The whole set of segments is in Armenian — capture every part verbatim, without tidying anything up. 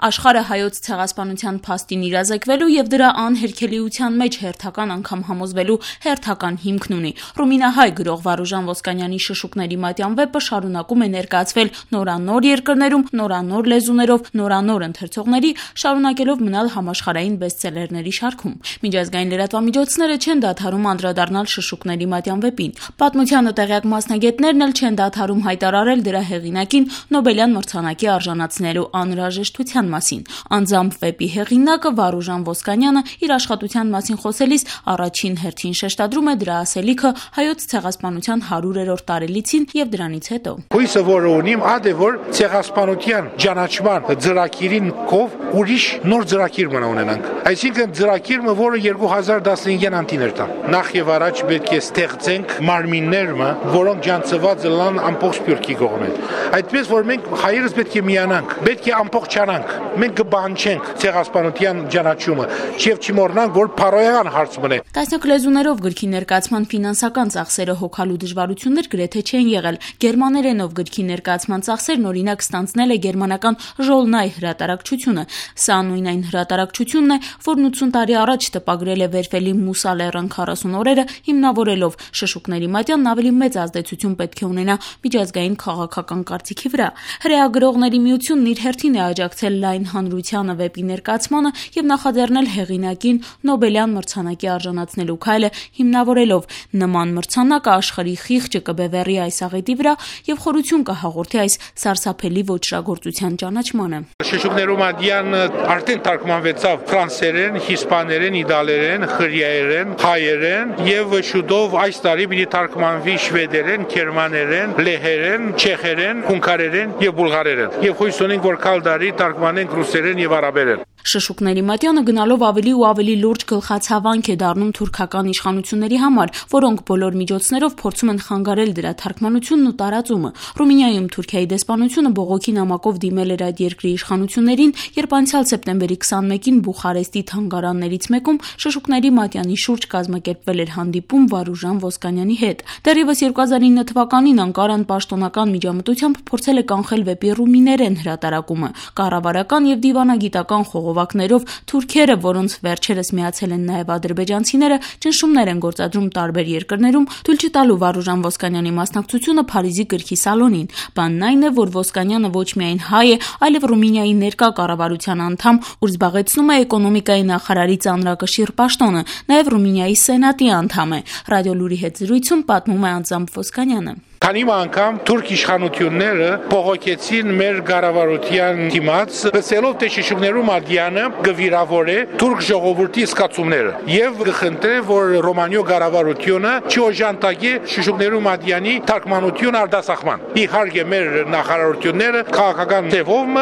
Աշխարհը հայոց ցեղասպանության փաստին իրազեկվելու եւ դրա անհերքելիության մեջ հերթական անգամ համոզվելու հերթական հիմքն ունի։ Ռումինահայ գրող Վարուժան Ոսկանյանի Շշուկների մատյան վեպը շարունակում է ներկայացվել նորանոր երկրներում, նորանոր լեզուներով, նորանոր ընթերցողների, շարունակելով մնալ համաշխարհային բեսթսելերների շարքում։ Միջազգային լրատվամիջոցները չեն դադարում անդրադառնալ Շշուկների մատյան վեպին։ Պատմությանը տեղյակ մասնագետներն էլ չեն դադարում հայտարարել դրա հեղինակին Նոբելյան մրցանակի արժանացնելու անհրաժեշտության մասին։ Անձամբ վեպի հեղինակը Վարուժան Ոսկանյանը իր աշխատության մասին խոսելիս առաջին հերթին շեշտադրում է դրա ասելիքը հայոց ցեղասպանության հարյուրերորդ տարելիցին եւ դրանից հետո։ Հույսը, որ ունիմ, ադե որ ցեղասպանության ճանաչման ծրագիրին կով ուրիշ նոր ծրագիր մնա ունենանք։ Այսինքն ծրագիրը, որը երկու հազար տասնհինգ անտիներ տա։ Նախ եւ առաջ պետք է ստեղծենք մարմիններ, որոնք ջանցված լան ամբողջ Սփյուռքի կողմեն։ Այդպես որ մենք հայերս պետք է միանանք, պետք է ամբողջանանք։ Մենք կբանչենք ցեղասպանության ճանաչումը, եւ չմոռնանք, որ փարոյական հարց մնա։ Տասնյակ լեզուներով գրքի ներկայացման ֆինանսական ծախսերը հոգալու դժվարություններ գրեթե չեն եղել։ Գերմաներենով գրքի ներկայացման ծախսերն օրինակ ստանձնել է գերմանական Ժոլնայ հրատարակչությունը։ Սա նույն այն հրատարակչությունն է, որն ութսուն տարի առաջ տպագրել է Վերֆելի Մուսալերն քառասուն օրերը, հիմնավորելով Շշուկների մատյանն ավելի մեծ ազդեցություն պետք է ունենա միջազգային քաղաքական կարծիքի վրա։ Հրեա գրողների միությունն իր հերթին է աջակցել լայն հանրությանը վեպի ներկայացմանը եւ նախաձեռնել հեղինակին Նոբելյան մրցանակի արժանացնելու քայլը, հիմնավորելով նման մրցանակը աշխարհի խիղճը կբևեռի այս աղետի վրա եւ խորություն կհաղորդի այս սարսափելի ոճրագործության ճանաչմանը։ Շշուկներու մատյանը արդեն թարգմանվեցավ ֆրանսերեն, իսպաներեն, իտալերեն, հրեաերեն, հայերեն եւ շուտով այս տարի պիտի թարգմանվի շվեդերեն, գերմաներեն, լեհերեն, չեխերեն, հունգարերեն եւ բուլղարերեն։ Եվ հույս ունենք, որ կալդարի թարգմանենք ռուսերեն եւ արաբերեն։ Շշուկների մատյանը գնալով ավելի ու ավելի լուրջ գլխացավանք է դառնում թուրքական իշխանությունների համար, որոնք բոլոր միջոցներով փորձում են խանգարել դրա թարգմանությունն ու տարածումը։ Ռումինիայում Թուրքիայի դեսպանությունը բողոքի նամակով դիմել էր այդ երկրի իշխանություններին, երբ անցյալ սեպտեմբերի քսանմեկին Բուխարեստի թանգարաններից մեկում Շշուկների մատյանի շուրջ կազմակերպվել էր հանդիպում Վարուժան Ոսկանյանի հետ։ Դեռևս երկու հազար ինը թվականին Անկարան պաշտոնական միջամտությամբ փորձել է կանխել վեպի ռումիներեն հրատարակումը։ Կառավարական եւ դիվանագիտական խողովակներով թուրքերը, որոնց վերջերս միացել են նաև ադրբեջանցիները, ճնշումներ են գործադրում տարբեր երկրներում, թույլ չտալու Վարուժան Ոսկանյանի մասնակցությունը Փարիզի գրքի սալոնին։ Բանն այն է, որ Ոսկանյանը ոչ միայն հայ է, այլև Ռումինիայի ներկա կառավարության անդամ, ուր զբաղեցնում է էկոնոմիկայի նախարարի ծանրակշիռ պաշտոնը, նաև Ռումինիայի սենատի անդամ է։ Ռադիոլուրի հետ զրույցում պատմում է անձամբ Ոսկանյանը։ Քանի անգամ թուրք իշխանությունները բողոքեցին մեր կառավարության դիմաց, ասելով թե Շշուկներու մատյանը գվիրավորե թուրք ժողովրդի զգացումները եւ գխնդրե, որ Ռոմանիո կառավարությունը չօժանդակի Շշուկներու մատյանի թարգմանություն արտասահման։ Իհարկե մեր նախարարությունները քաղաքական ձևով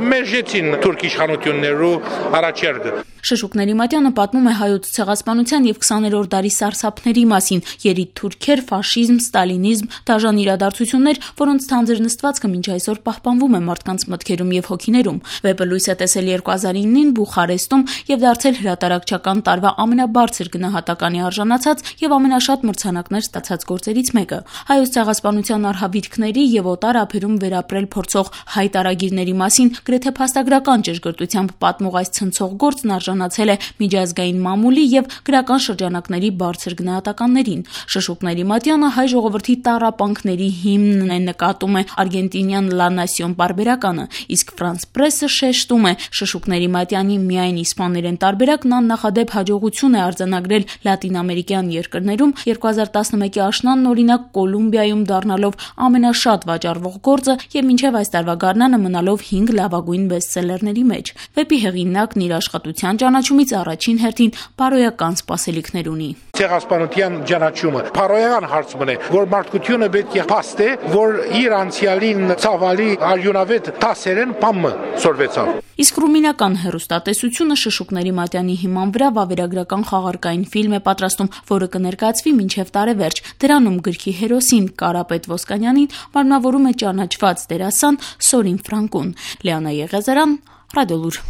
մերժեցին թուրք իշխանություններու առաջարկը։ Շշուկների մատյանը պատմում է հայոց ցեղասպանության եւ քսաներորդ դարի սարսափների մասին՝ երիտ թուրքեր, ֆաշիզմ, ստալինիզմ, դաժան իրադարձություններ, որոնց թանձր նստվածքը մինչ այսօր պահպանվում է մարդկանց մտքերում եւ հոգիներում։ Վեպը լույս է տեսել երկու հազար ինին Բուխարեստում եւ դարձել հրատարակչական տարվա ամենաբարձր գնահատականի արժանացած եւ ամենաշատ մրցանակներ ստացած գործերից մեկը։ Հայոց ցեղասպանության արհավիրքների եւ օտար ափերում վերապրել փորձող հայ տարագիրների մասին գրեթե փաստագրական ճշգրտությամբ պատմող այս ցնցող գործն արժանացել է միջազգային մամուլի եւ գրական շրջանակների բարձր գնահատականներին։ Շշուկների մատյանը հայ ժողովրդի տառապանքների հիմնն է, նկատում է արգենտինյան La Nación պարբերականը, իսկ France Press-ը շեշտում է Շշուկների մատյանի միայն իսպաներեն տարբերակն աննախադեպ հաջողություն է արձանագրել լատինամերիկյան երկրներում, երկու հազար տասնմեկի աշնանն օրինակ Կոլումբիայում դառնալով ամենաշատ վաճառվող գործը եւ մինչեւ այս տարվա գարնանը մնալով հինգ լավագույն բեսթսելերների մեջ։ Վեպի հեղինակն իր աշխատության ճանաչումից առաջին հերթին բարոյական սպասելիքներ ունի։ Ցեղասպանության ճանաչումը փարոյական հարց մնա, որ մարդկությունը պետք է փաստե, որ իր անցյալին ցավալի արյունավետ տասերեն բամը սորվեցավ։ Իսկ ռումինական հեռուստատեսությունը Շշուկների մատյանի հիման վրա վավերագրական խաղարկային ֆիլմ է պատրաստում, որը կներկայացվի մինչև տարեվերջ։ Դրանում գրքի հերոսին Կարապետ Ոսկանյանին մարմնավորում է ճանաչված դերասան Սորին Ֆրանկուն։ Լիանա Եղիազարյան, Ռադիոլուր։